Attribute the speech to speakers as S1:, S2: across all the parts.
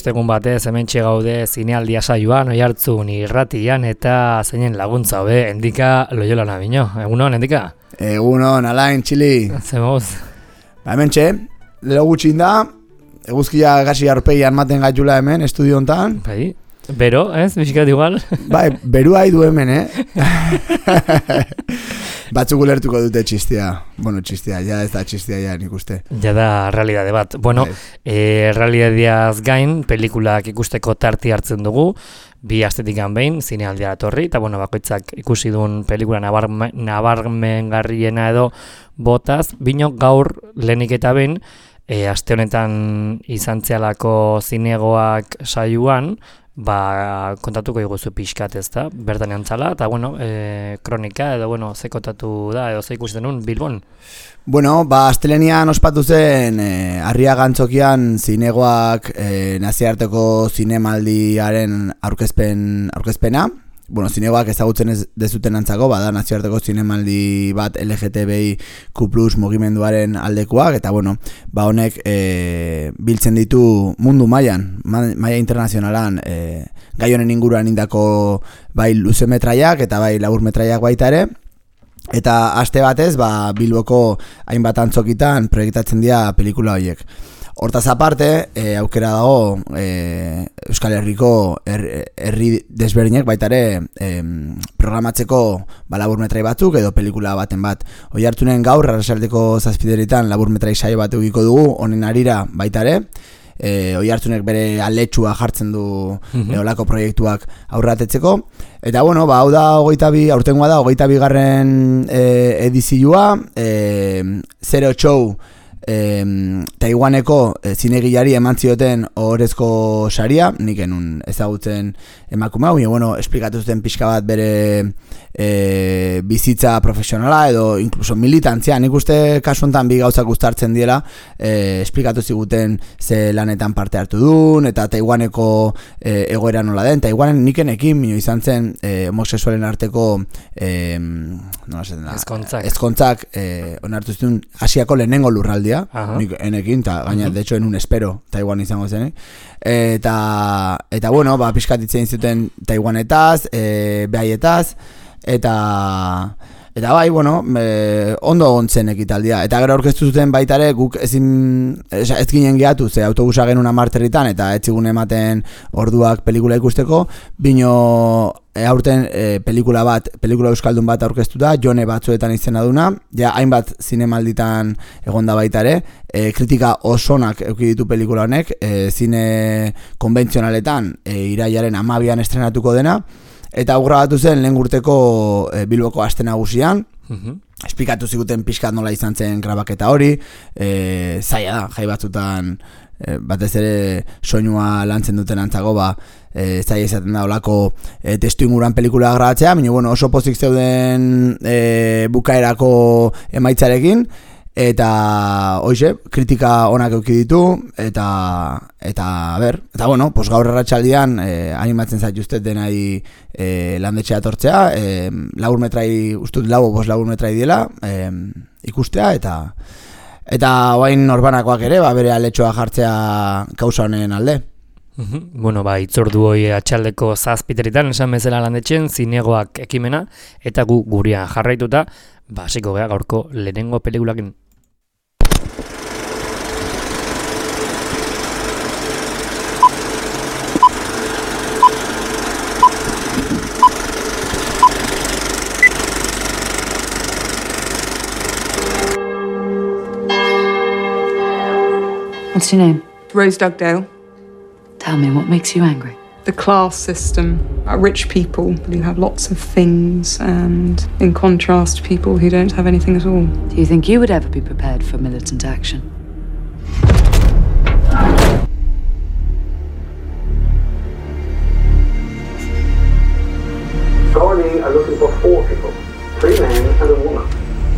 S1: ostegun batez hementxe gaude zinealdia saioan, Oihartzun irratian eta zeinen laguntza hobe, Endika Loyola Nabino. Egunon, Endika?
S2: Egunon, Alain, Txili.
S1: Zemoz?
S2: Hementxe, lero gutxin da, eguzkia gasi arpeian maten gaitula hemen, estudio hontan.
S1: Bai, bero, ez? Bizikat igual?
S2: Bai, berua du hemen, Batzuk ulertuko dute txistia. Bueno, txistia, ja ez da txistia ja nik uste.
S1: Ja da realidade bat. Bueno, realidadeaz gain, pelikulak ikusteko tarti hartzen dugu, bi astetikan behin, zinealdiara torri, eta bueno, bakoitzak ikusi duen pelikula nabarmengarriena edo botaz, bino gaur lehenik eta behin, aste honetan izan zehalako zinegoak saioan, kontatuko iguzu pixkat ez da, bertan antzala, eta bueno, kronika edo bueno, ze kontatu da, edo ze ikusten nun, Bilbon?
S2: Bueno, astelenian ospatu zen Arriaga Antzokian zinegoak nazioarteko zinemaldiaren aurkezpena. Bueno, zinegoak ezagutzen ez dezuten antzako, bada nazioarteko zinemaldi bat LGTBIQ+ mugimenduaren aldekoak, eta bueno, honek biltzen ditu mundu mailan, maila internazionalan, gai honen inguruan indako bai luzemetraiak eta bai laburmetraiak baita ere, eta aste batez, Bilboko hainbat antzokitan proiektatzen dira pelikula horiek. Hortaz aparte, aukera dago Euskal Herriko herri desberdinek baita ere programatzeko laburmetrai batzuk edo pelikula baten bat. Oihartzunen gaur, arratsaldeko 7:00 laburmetrai saio bat edukiko dugu, honen harira baita ere. Oihartzunek bere aletxua jartzen du olako proiektuak aurratetzeko. Eta bueno, hau da aurtengoa da 22. Edizioa, Zero Show Taiwaneko zinegilari eman zioten ohorezko saria, nik enun ezagutzen emakume hau, bueno, esplikatu zuten pixka bat bere bizitza profesionala edo inkluso militantzia, nik uste kasu honetan bi gauzak uztartzen diela, esplikatu ziguten ze lanetan parte hartu duen, eta Taiwaneko egoera nola den. Taiwanen nikenekin mino izan zen homosexualen arteko ezkontzak onartu zuen Asiako lehenengo lurraldia, nik enekin, eta gaina, de hecho, enun espero Taiwan izango zen, eta bueno, pixkatitzen zuten Taiwanetaz, behaietaz, eta bai, bueno, ondo ontzen ekitaldia. Eta gero aurkeztu zuten baita ere, guk ez ginen gehatu, ze autobusa genuen amarterritan, eta ez zigun ematen orduak pelikula ikusteko, bino aurten pelikula euskaldun bat aurkeztu da, Jone batzuetan izena duna, ja hainbat zinemalditan egonda baita ere, kritika osonak eduki ditu pelikula honek, zine konbentzionaletan irailaren 12an estrenatuko dena, eta grabatu zen lehen urteko Bilboko aste nagusian, esplikatu ziguten pixkat nola izan zen grabaketa hori, zaila da, jai batzutan batez ere soinua lantzen duten antzago, zaila izaten da olako testu inguruan pelikula grabatzea, baina bueno, oso pozik zeuden bukaerako emaitzarekin, eta hoize, kritika onak eduki ditu, eta bueno, gaur arratsaldean animatzen zaituztet denai landetxea tortzea, laburmetrai, ustut 5 laburmetrai diela, ikustea, eta oain norbanakoak ere, bere aletxoa jartzea kausa honen alde.
S1: Bueno, itzordu hoi atxaldeko 7:00 esan bezala landetxen, zinegoak ekimena, eta gurean jarraituta, hasiko gea gaurko lehenengo pelikulakin.
S3: What's your name?
S4: Rose Dugdale.
S3: Tell me, what makes you angry?
S4: The class system. Rich people who have lots of things, and in contrast, people who don't have anything at all.
S3: Do you think you would ever be prepared for militant action?
S5: Gardaí are looking for 4 people, 3 men and a woman.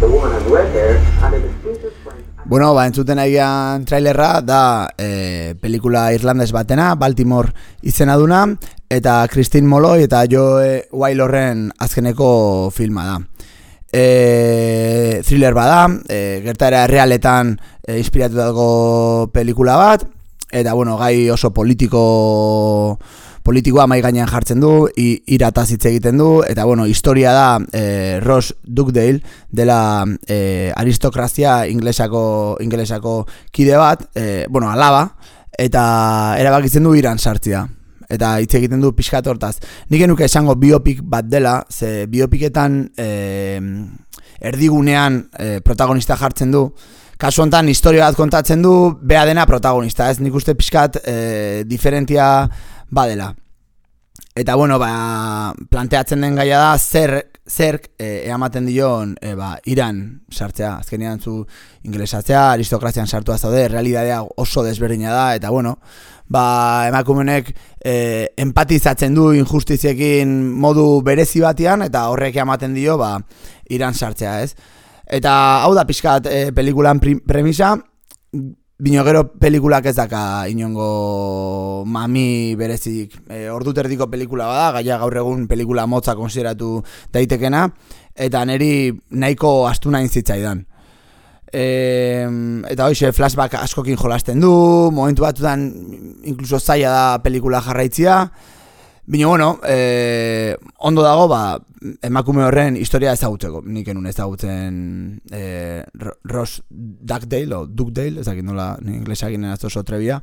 S5: The woman has red hair and a distinctive French.
S2: Bueno, entzuten agian trailerra da pelikula irlandes batena, Baltimore izena duna, eta Christine Molloy eta Joe Waylorren azkeneko filma da. Thriller bada, gertaera errealetan inspiratutako pelikula bat, eta bueno, gai oso politikoa mai gainean jartzen du, irataz hitz egiten du, eta bueno, historia da Ross Dugdale dela aristokrazia ingelesako kide bat, bueno, alaba, eta erabakitzen du Iran sartzea. Eta hitz egiten du pixkat hortaz. Nik genuke esango biopik bat dela, ze biopiketan erdigunean protagonista jartzen du. Kasu honetan historia bat kontatzen du, bea dena protagonista, ez nik uste pixkat diferentia badela. Eta bueno, planteatzen den gaia da zerk eamaten dion Iran sartzea. Azkenean zu ingelesatzea, aristokrazian sartua zaude, realidadea oso desberdina da, eta bueno, emakumenek empatizatzen du injustiziekin modu berezi batean, eta horrek ematen dio Iran sartzea, ez? Eta hau da pixkat pelikulan premisa, bino gero pelikulak ez daka inongo mami berezik. Orduterdiko pelikula bada, gaia gaur egun pelikula motza konsideratu daitekena, eta niri nahiko astuna zitzaidan. Eta hoxe flashback askokin jolasten du, momentu batutan inkluso zaila da pelikula jarraitzia, bino bueno, ondo dago emakume horren historia ezagutzeko. Nik enun ezagutzen Ross Dugdale o Dugdale, ezakit nola inglesak ginen oso trebia.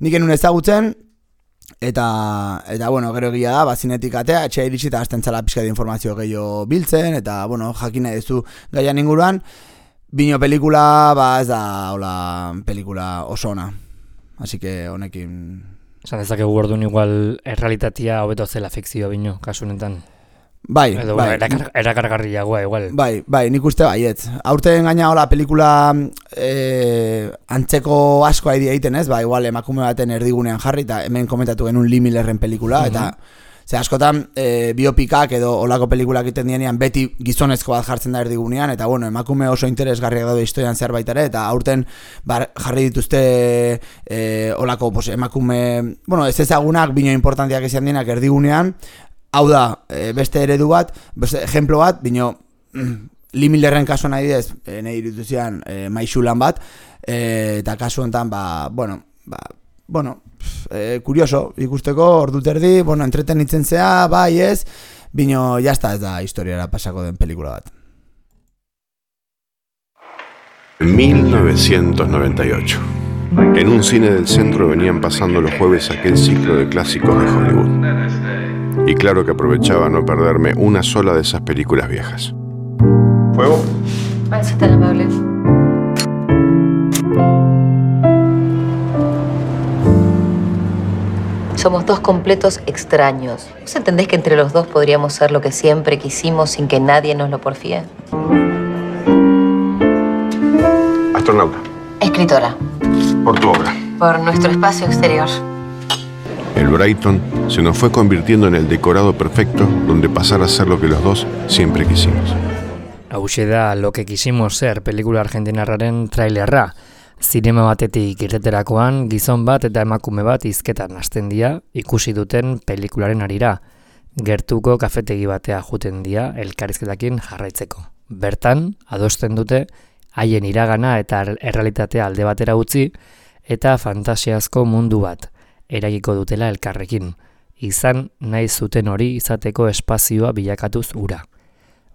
S2: Nik enun ezagutzen, eta bueno, gero egia da, zinetik atea, etxea iritsi eta hasten zala pixka de informazio gehiago biltzen, eta bueno, jakina duzu gaian inguruan, bino pelikula, ez da, hola, pelikula oso ona. Así que honekin...
S1: Esan dezakegu orduan igual errealitatea hobeto zela fikzio bino, kasu honetan.
S2: Bai.
S1: Erakargarriagoa igual.
S2: Bai, nik uste baietz. Aurten gaina hola pelikula antzeko asko egiten ez, igual emakume baten erdigunean jarri, eta hemen komentatu genuen Lee Millerren pelikula, eta ze askotan biopikak edo olako pelikulak egiten dienean beti gizonezko bat jartzen da erdigunean, eta bueno, emakume oso interesgarriak daude historian zerbait ere, eta aurten jarri dituzte olako emakume, bueno, ez ezagunak, bino importantiak izan dienak erdigunean. Hau da, beste eredu bat, beste ejemplo bat, bino Lee Millerren kasuan adibidez, nahi irituzian maixulan bat, eta kasu honetan, kurioso, ikusteko, orduterdi, entretenitzen zea, bai ez, bino jazta ez da historiara pasako den pelikula bat.
S6: En 1998, en un cine del centro venían pasando los jueves aquel ciclo de clásicos de Hollywood. Y claro que aprovechaba no perderme una sola de esas películas viejas. ¿Fuego?
S7: Eso es tan amable. Somos dos completos extraños. ¿Vos entendés que entre los dos podríamos ser lo que siempre quisimos sin que nadie nos lo porfíe?
S6: Astronauta.
S7: Escritora.
S6: Por tu obra.
S7: Por nuestro espacio exterior.
S6: El Brighton se nos fue convirtiendo en el decorado perfecto donde pasar a ser lo que los dos siempre quisimos.
S1: Hauxe da Lo que quisimos ser pelikula argentinarraren trailerra. Zinema batetik irteterakoan gizon bat eta emakume bat hizketan hasten dira ikusi duten pelikularen harira. Gertuko kafetegi batea juten dira elkarrizketakin jarraitzeko. Bertan, adosten dute haien iragana eta errealitatea alde batera utzi eta fantasiazko mundu bat eragiko dutela elkarrekin, izan nahi zuten hori izateko espazioa bilakatuz ura.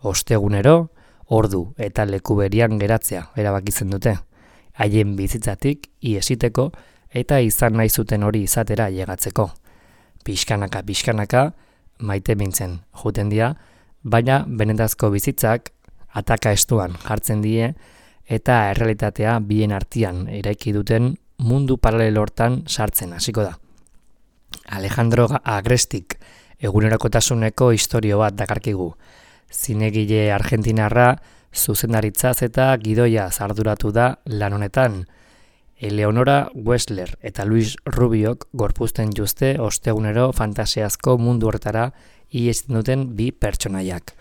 S1: Ostegunero, ordu eta leku berian geratzea erabakitzen dute, haien bizitzatik iesiteko eta izan nahi zuten hori izatera llegatzeko. Pixkanaka, maite mintzen juten dira, baina benetazko bizitzak ataka estuan jartzen die eta errealitatea bien artean eraiki duten mundu paralelo hortan sartzen hasiko da. Alejandro Agrestik egunerakotasuneko istorio bat dakarkigu. Zinegile argentinarra zuzendaritzaz eta gidoiaz arduratu da lan honetan. Eleonora Wessler eta Luis Rubiok gorpuzten juzte ostegunero fantasiazko mundu horretara ihesten duten bi pertsonaiak.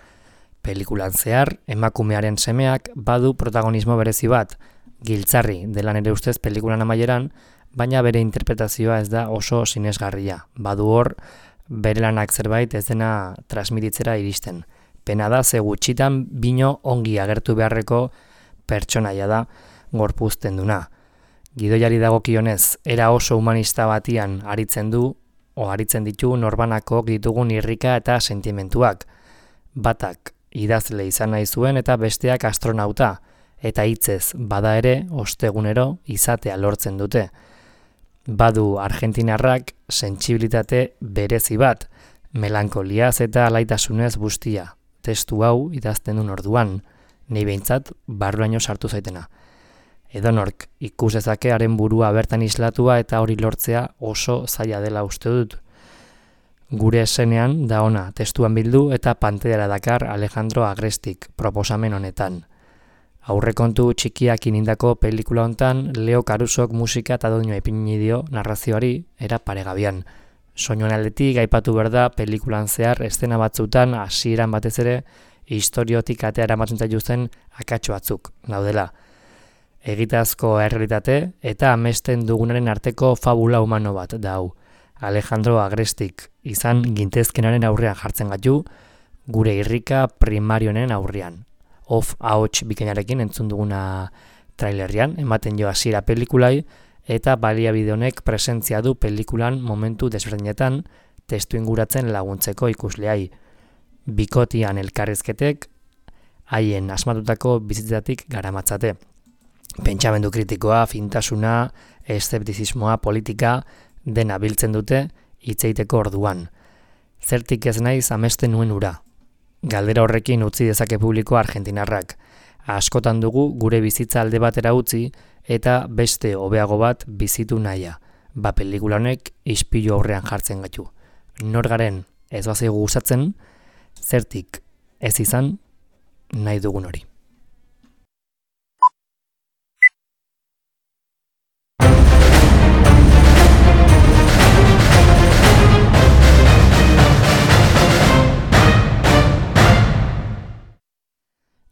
S1: Pelikulan zehar, emakumearen semeak badu protagonismo berezi bat, giltzarri dela nere ustez pelikulan amaieran, baina bere interpretazioa ez da oso sinesgarria. Badu hor, bere lanak zerbait ez dena transmititzera iristen. Pena da, ze gutxitan bino ongi agertu beharreko pertsonaia da gorpuzten duna. Gidoiari dagokionez, era oso humanista batian aritzen ditu norbanakok ditugun irrika eta sentimentuak. Batak idazle izan nahi zuen eta besteak astronauta, eta hitzez bada ere ostegunero izatea lortzen dute. Badu argentinarrak sentsibilitate berezi bat, melankoliaz eta alaitasunez bustia. Testu hau idazten duen orduan, nei behintzat barruaino sartu zaitena. Edonork ikus dezake haren burua bertan islatua eta hori lortzea oso zaila dela uste dut. Gure esenean da ona testuan bildu eta pantailara dakar Alejandro Agrestik proposamen honetan. Aurrekontu txikiak inindako pelikula hontan Leo Carusok musika eta doinua ipini dio narrazioari era paregabian. Soinuan aldetik aipatu behar da pelikulan zehar eszena batzutan hasieran batez ere historiotik atea eramaten zaituzten akatso batzuk daudela. Egitazko errealitate eta amesten dugunaren arteko fabula humano bat da hau. Alejandro Agrestik izan gintezkenaren aurrean jartzen gaitu, gure irrika primarionen aurrean. Ahots bikainarekin entzun duguna trailerrian, ematen jo hasiera pelikulai, eta baliabide honek presentzia du pelikulan momentu desberdinetan testu inguratzen laguntzeko ikusleai. Bikotian elkarrizketek haien asmatutako bizitzetatik garamatzate. Pentsamendu kritikoa, fintasuna, eszeptizismoa, politika, dena biltzen dute hitzeiteko orduan. Zertik ez naiz amesten nuen ura. Galdera horrekin utzi dezake publiko argentinarrak. Askotan dugu gure bizitza alde batera utzi eta beste hobeago bat bizitu nahia. Pelikula honek ispilu aurrean jartzen gaitu. Nor garen ez bazaigu gustatzen, zertik ez izan nahi dugun hori.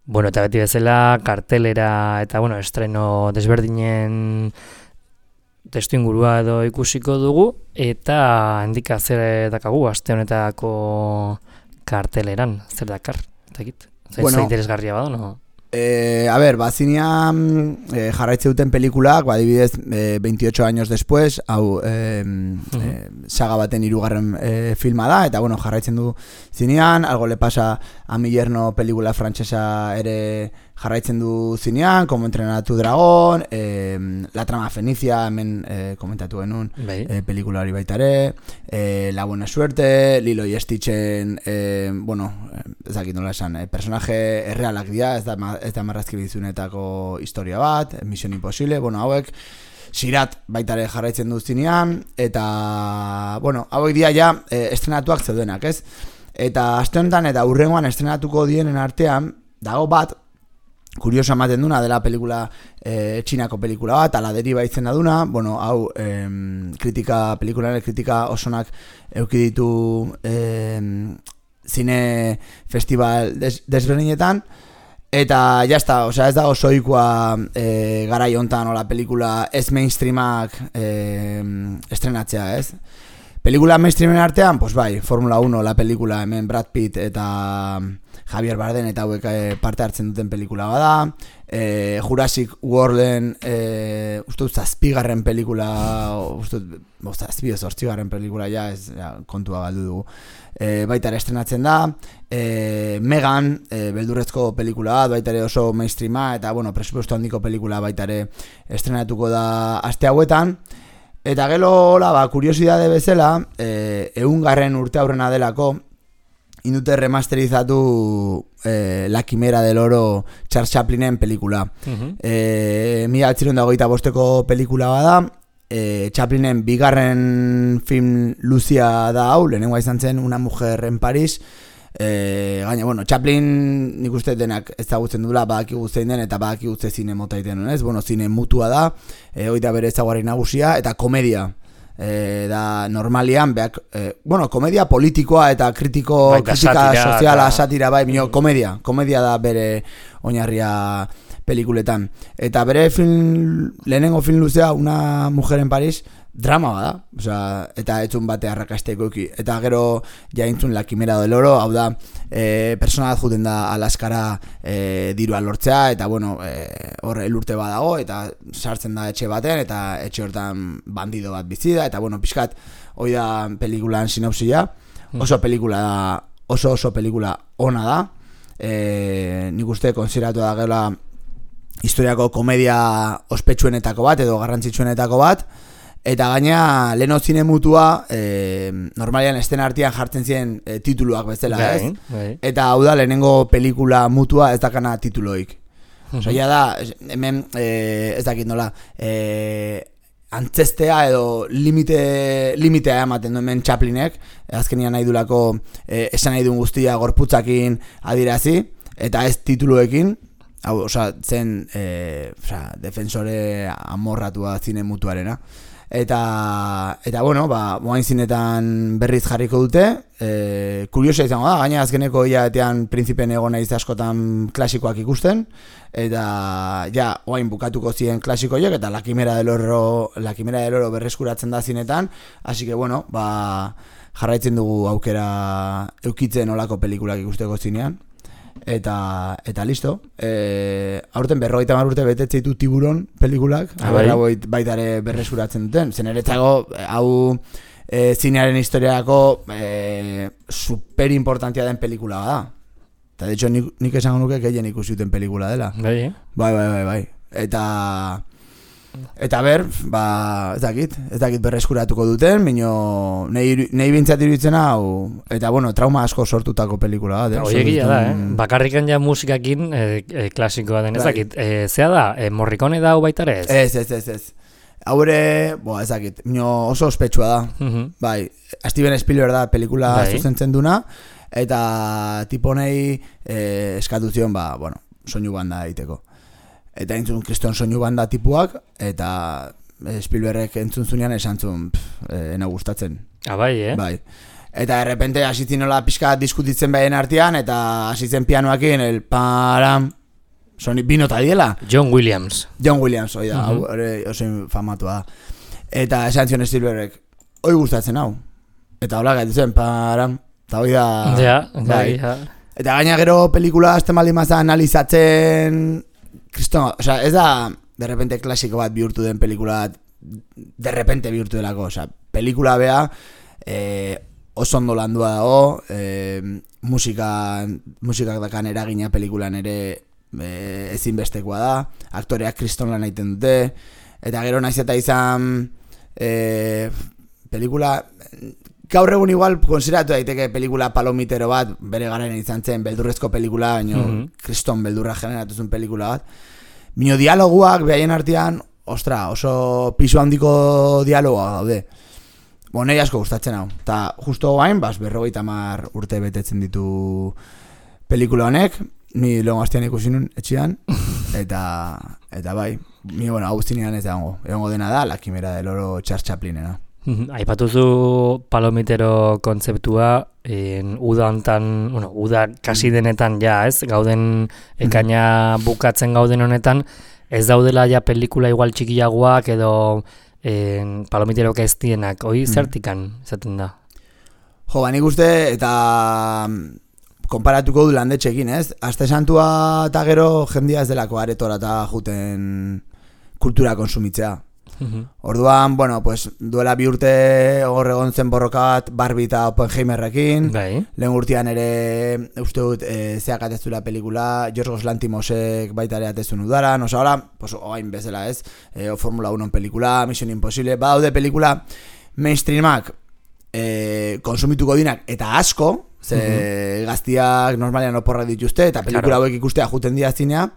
S1: Bueno, eta beti bezala kartelera eta estreno desberdinen testu ingurua edo ikusiko dugu eta handika zer dakagu aste honetako karteleran, zer dakar, eta egit? Zer interesgarria bada, no?
S2: Zinean jarraitze duten pelikulak, adibidez 28 años después, hau saga baten 3. Filma da, eta jarraitzen du zinean, Algo le pasa a mi yerno pelikula frantsesa ere jarraitzen du zinean, Como entrenar a tu dragón, La trama fenicia, hemen komentatu genuen pelikula hori baita ere, La buena suerte, Lilo y Stitchen, ez dakit nola esan, personaje errealak dira, ez da marrazki bizunetako historia bat, Mission Impossible, hauek Sirat baita ere jarraitzen du zinean, eta, hauek dira ja estrenatuak zeudenak, ez? Eta aste honetan eta hurrengoan estrenatuko dienen artean, dago bat, kurioso ematen duna dela pelikula, txinako pelikula bat, Ala deriba izena duna, hau pelikularen kritika osonak eduki ditu zine festival desberdinetan, eta jazta, ez dago soikoa garai hontan ola pelikula ez mainstreamak estrenatzea, ez? Pelikula mainstreamen artean, Formula 1, la pelikula, hemen Brad Pitt eta Javier Bardem eta hauek parte hartzen duten pelikula bada, Jurassic Worlden, zazpigarren pelikula, zortzigarren pelikula, kontua galdu dugu, baita ere estrenatzen da, Megan, beldurrezko pelikula bat, baita ere oso mainstreama, eta presupuesto handiko pelikula baita ere estrenatuko da aste hauetan. Eta gero, kuriosidade bezala, 100. urte aurrena delako, indute remasterizatu La Quimera del Oro Charles Chaplinen pelikula. 1925ko pelikula bada, Chaplinen bigarren film luzia da hau, lehenengoa izan zen Una mujer en París. Gaina, Chaplin nik uste denak ezagutzen dula, badaki guztein den eta badaki guzte zine motaiten, ez? Zine mutua da, hori da bere ezaguarri nagusia, eta komedia da normalian, komedia politikoa eta kritika soziala, satira, komedia da bere oinarria pelikuletan. Eta bere lehenengo film luzea, Una mujer en París, drama bada, osea, eta etzun bate arrakasteko eki. Eta gero jaintzun La Quimera del Oro, hau da, persona bat juten da Alaskara dirua lortzea, eta bueno, hor elurte badago, eta sartzen da etxe baten, eta etxe hortan bandido bat bizi da, eta bueno, pixkat, hoi da pelikulan sinopsia, oso pelikula da, oso pelikula ona da, nik uste konsideratu da gela historiako komedia ospetsuenetako bat edo garrantzitsuenetako bat, eta gaina leno zine mutua normalian estena artean jartzen ziren tituluak bezala, ez? Eta hau da lehenengo pelikula mutua ez dakana tituloik. Osea da, hemen ez dakit nola, antzestea edo limitea ematen du hemen Chaplinek, azkenian nahi dulako esan nahi duen guztia gorputzakin adirazi, eta ez tituloekin, hau, zen defensore amorratua zine mutuarena. Eta bueno, moain zinetan berriz jarriko dute, kuriosa izango da, gaina azkeneko hilabetean Prinzipen egon naiz askotan klasikoak ikusten, eta ja, oain bukatuko ziren klasikoiek, eta La Quimera del Oro berreskuratzen da zinetan, así que bueno, jarraitzen dugu aukera eukitzen olako pelikulak ikusteko zinean. Eta listo. Aurten 50 urte betetze ditu Tiburon pelikulak, baitare berreskuratzen duten. Zen eretzago, hau zinearen historiako super importantia den pelikula da. Eta de hecho nik esango nuke gehien ikusi duten pelikula dela. Bai. Eta ber, ez dakit berreskuratuko duten, mino nahi bintzat iruditzen hau, eta bueno, trauma asko sortutako pelikula da.
S1: Oiegia da, bakarrikan ja musikakin klasikoa den, ez dakit, zea da, Morricone da hau baitare ez?
S2: Ez. Haure, ez dakit, oso ospetsua da, bai, Steven Spielberg da pelikula zuzentzen duna, eta tiponei eskatu zion, soinu banda egiteko. Eta entzun kriston soinu banda tipuak, eta Spielbergek entzun zunean esan zuen, ena gustatzen.
S1: Bai,
S2: Bai. Eta errepente hasitzen nola pixka diskutitzen behien artean, eta hasitzen pianoakin, el param, soni binota diela.
S1: John Williams,
S2: oi da, oso famatua da. Eta esan zion Spielbergek, hoi gustatzen hau. Eta hola gaitzen, param, eta hoi da...
S1: Ja.
S2: Eta gaina gero pelikula azten baldin maza analizatzen... Kriston, ez da de repente klasiko bat bihurtu den pelikula de repente bihurtu delako, pelikula bea oso ondo landua dago, musikak dakan eragina pelikulan ere ezinbestekoa da, aktoreak kriston lan egiten dute, eta gero naiz eta izan pelikula gaur egun igual konsideratu daiteke pelikula palomitero bat, bere garen izan zen beldurrezko pelikula, baina kriston beldurra generatuzun pelikula bat. Bino dialoguak behaien artean, oso pisu handiko dialogoa daude. Nahi asko gustatzen hau. Eta justo gain, 50 urte betetzen ditu pelikula honek, ni lehenko hastian ikusi nun etxean, eta bai, ni hau zinean ez dago. Egongo dena da, La Quimera del Oro Charles Chaplinena.
S1: Aipatuzu palomitero kontzeptua, uda hontan, uda kasi denetan ja, ez? Gauden ekaina bukatzen gauden honetan, ez daudela ja pelikula igual txikiagoak edo palomiterok ez dienak, hoi zertikan izaten da?
S2: Jo, nik uste eta konparatuko du landetxekin, ez? Aste santua eta gero jendia ez delako aretora eta juten kultura konsumitzea. Orduan, duela 2 urte hor egon zen borroka bat Barbie eta Oppenheimerrekin, lehen urtean ere uste dut zeak atezula pelikula, Yorgos Lanthimosek baita ere atezun udaran, ahora, oain bezala ez, Formula 1 pelikula, Mission Impossible, badaude pelikula mainstreamak konsumituko dinak eta asko, ze gaztiak normalian oporrak dituzte eta pelikula hauek ikustea juten dira zinea.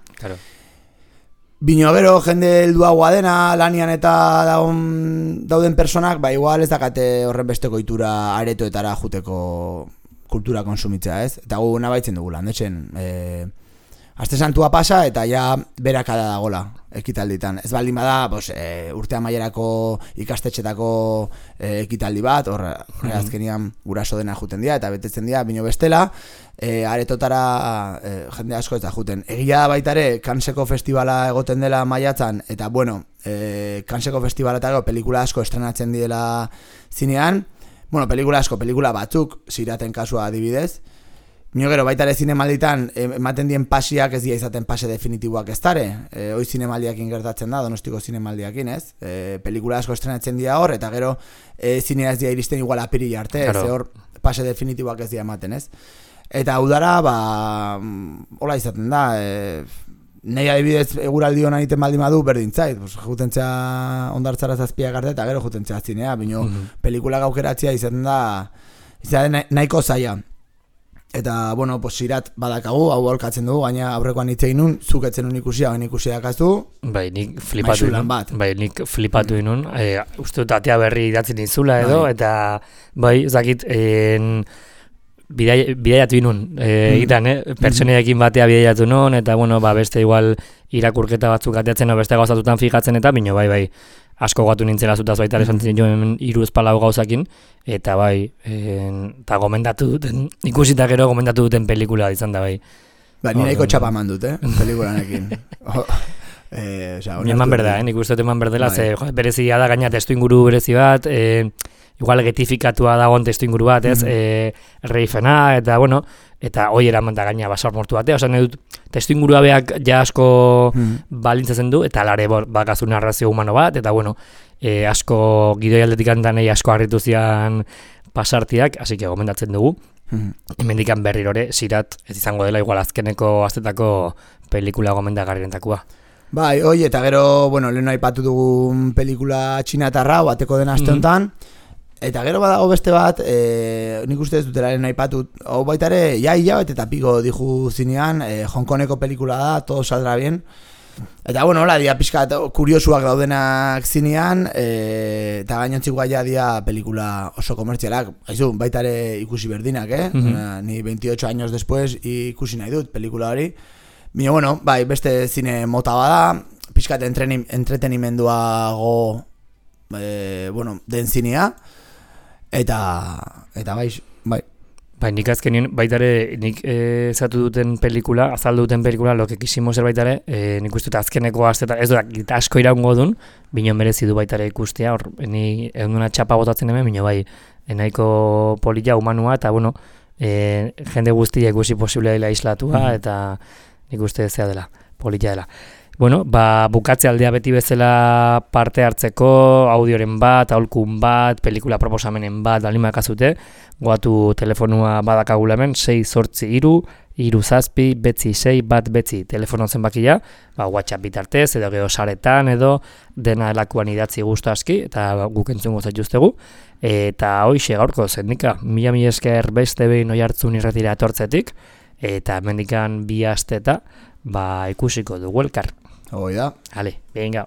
S2: Bino gero jende helduagoa dena, lanian eta dauden personak, igual ez dakate horren besteko itura aretoetara juteko kultura konsumitzea, ez? Eta gu nabaitzen dugu landetxen, Aste Santua pasa eta ja berakada dagola ekitalditan. Ez baldin bada, urte amaierako ikastetxetako ekitaldi bat, hor azkenian guraso dena juten dira eta betetzen dira bino bestela, aretotara jende asko ez da juten. Egia da baita ere, Canneseko festivala egoten dela maiatzan, eta bueno, Canneseko festivaletako pelikula asko estrenatzen direla zinean, pelikula batzuk, Siraten kasua adibidez, Mio gero, baita ere zinemalditan ematen dien pasiak ez dira izaten pase definitiboak ez dare. Hoi zinemaldiakin gertatzen da, Donostiko zinemaldiakin, ez? Pelikula asko estrenatzen dira hor, eta gero zinea ez dira iristen igual apirila arte, ez hor pase definitiboak ez dira ematen, ez? Eta udara, hola izaten da, nahi adibidez eguraldi honan iten baldin badu berdintzait, jutentzea ondartzara zazpiak arte, eta gero jutentzea zinea, bino pelikula gaukeratzea izaten da, nahiko zaila. Eta, bueno, Sirat badakagu, hau aurkatzen dugu, gaina aurrekoan hitzein nun, zuk etzen nun ikusia, baina ikusia dakaztu.
S1: Bai, nik flipatu inun. Uste dut atea berri idatzen izula edo, eta, bai, zakit, bidaiatu inun, egitan, pertsoneekin batea bidaiatu nun, eta, bueno, beste igual irakurketa batzuk ateatzen, beste gauzatutan fijatzen, eta, bino, bai, asko gatu nintzela zutaz baita esan joen 3 palau gauzakin, eta bai, eta gomendatu duten, ikusita gero gomendatu duten pelikula izan da bai.
S2: Ba, ni nahiko txapa eman dut, pelikulanekin.
S1: Eman berda, nik uste dut eman berdela, ze berezia da gaina testu inguru berezi bat, igual getifikatua dagoen testu inguru bat, ez, reifena, eta bueno, eta hoi eraman da gaina basar mortu batea, osan edut, testu ingurua beak ja asko balintzatzen du, eta lare bakazu narrazio humano bat, eta bueno, asko gidoi aldetik handanei asko harritu zian pasartiak, así que gomendatzen dugu. Hemendikan berrirore, Sirat ez izango dela igual azkeneko aztetako pelikula gomendagarrientakua.
S2: Bai, hoi, eta gero, bueno, lehen aipatu dugun pelikula txinatarra, bateko den aste honetan, eta gero badago beste bat, nik uste ez dutela lehen aipatu, hau baita ere, hilabete eta piko diju zinean, Hongkoneko pelikula da, todo saldrá bien, eta bueno, hola, dia pixkat kuriosuak daudenak zinean, eta gainontziko gaia dia pelikula oso komertzialak, haizu, baita ere ikusi berdinak, ni 28 años después ikusi nahi dut pelikula hori. Bino, bueno, bai, beste zine mota bada, pixkat entretenimenduago den zinea, eta bai.
S1: Bai, nik azkenien, baitare, nik zatu duten pelikula, azaldu duten pelikula, lo que quisimos ser baitare, nik uste dut azkeneko aztetan, ez dut asko iraungo dun, bino merezi du baitare ikustea, hor, ni egunduna txapa botatzen hemen, bino bai, nahiko polilla humanua, eta bueno, jende guztia ikusi posiblea dela islatua, eta nik uste zea dela, polilla dela. Bueno, bukatze aldea beti bezala parte hartzeko, audioren bat, aholkun bat, pelikula proposamenen bat, alimak azute, goatu telefonua badakagula hemen, 6-8-3-3-6-6 telefono zenbakia, WhatsApp bitartez, edo gero saretan, edo dena elakuan idatzi guztu aski, eta guk entzungo zaituztegu. Eta hoixe gaurko zendika, mila esker beste behin Oihartzun irratira etortzetik, eta mendikan 2 asteta, ikusiko dugu elkar.
S2: Hoi da.
S1: Ale, venga.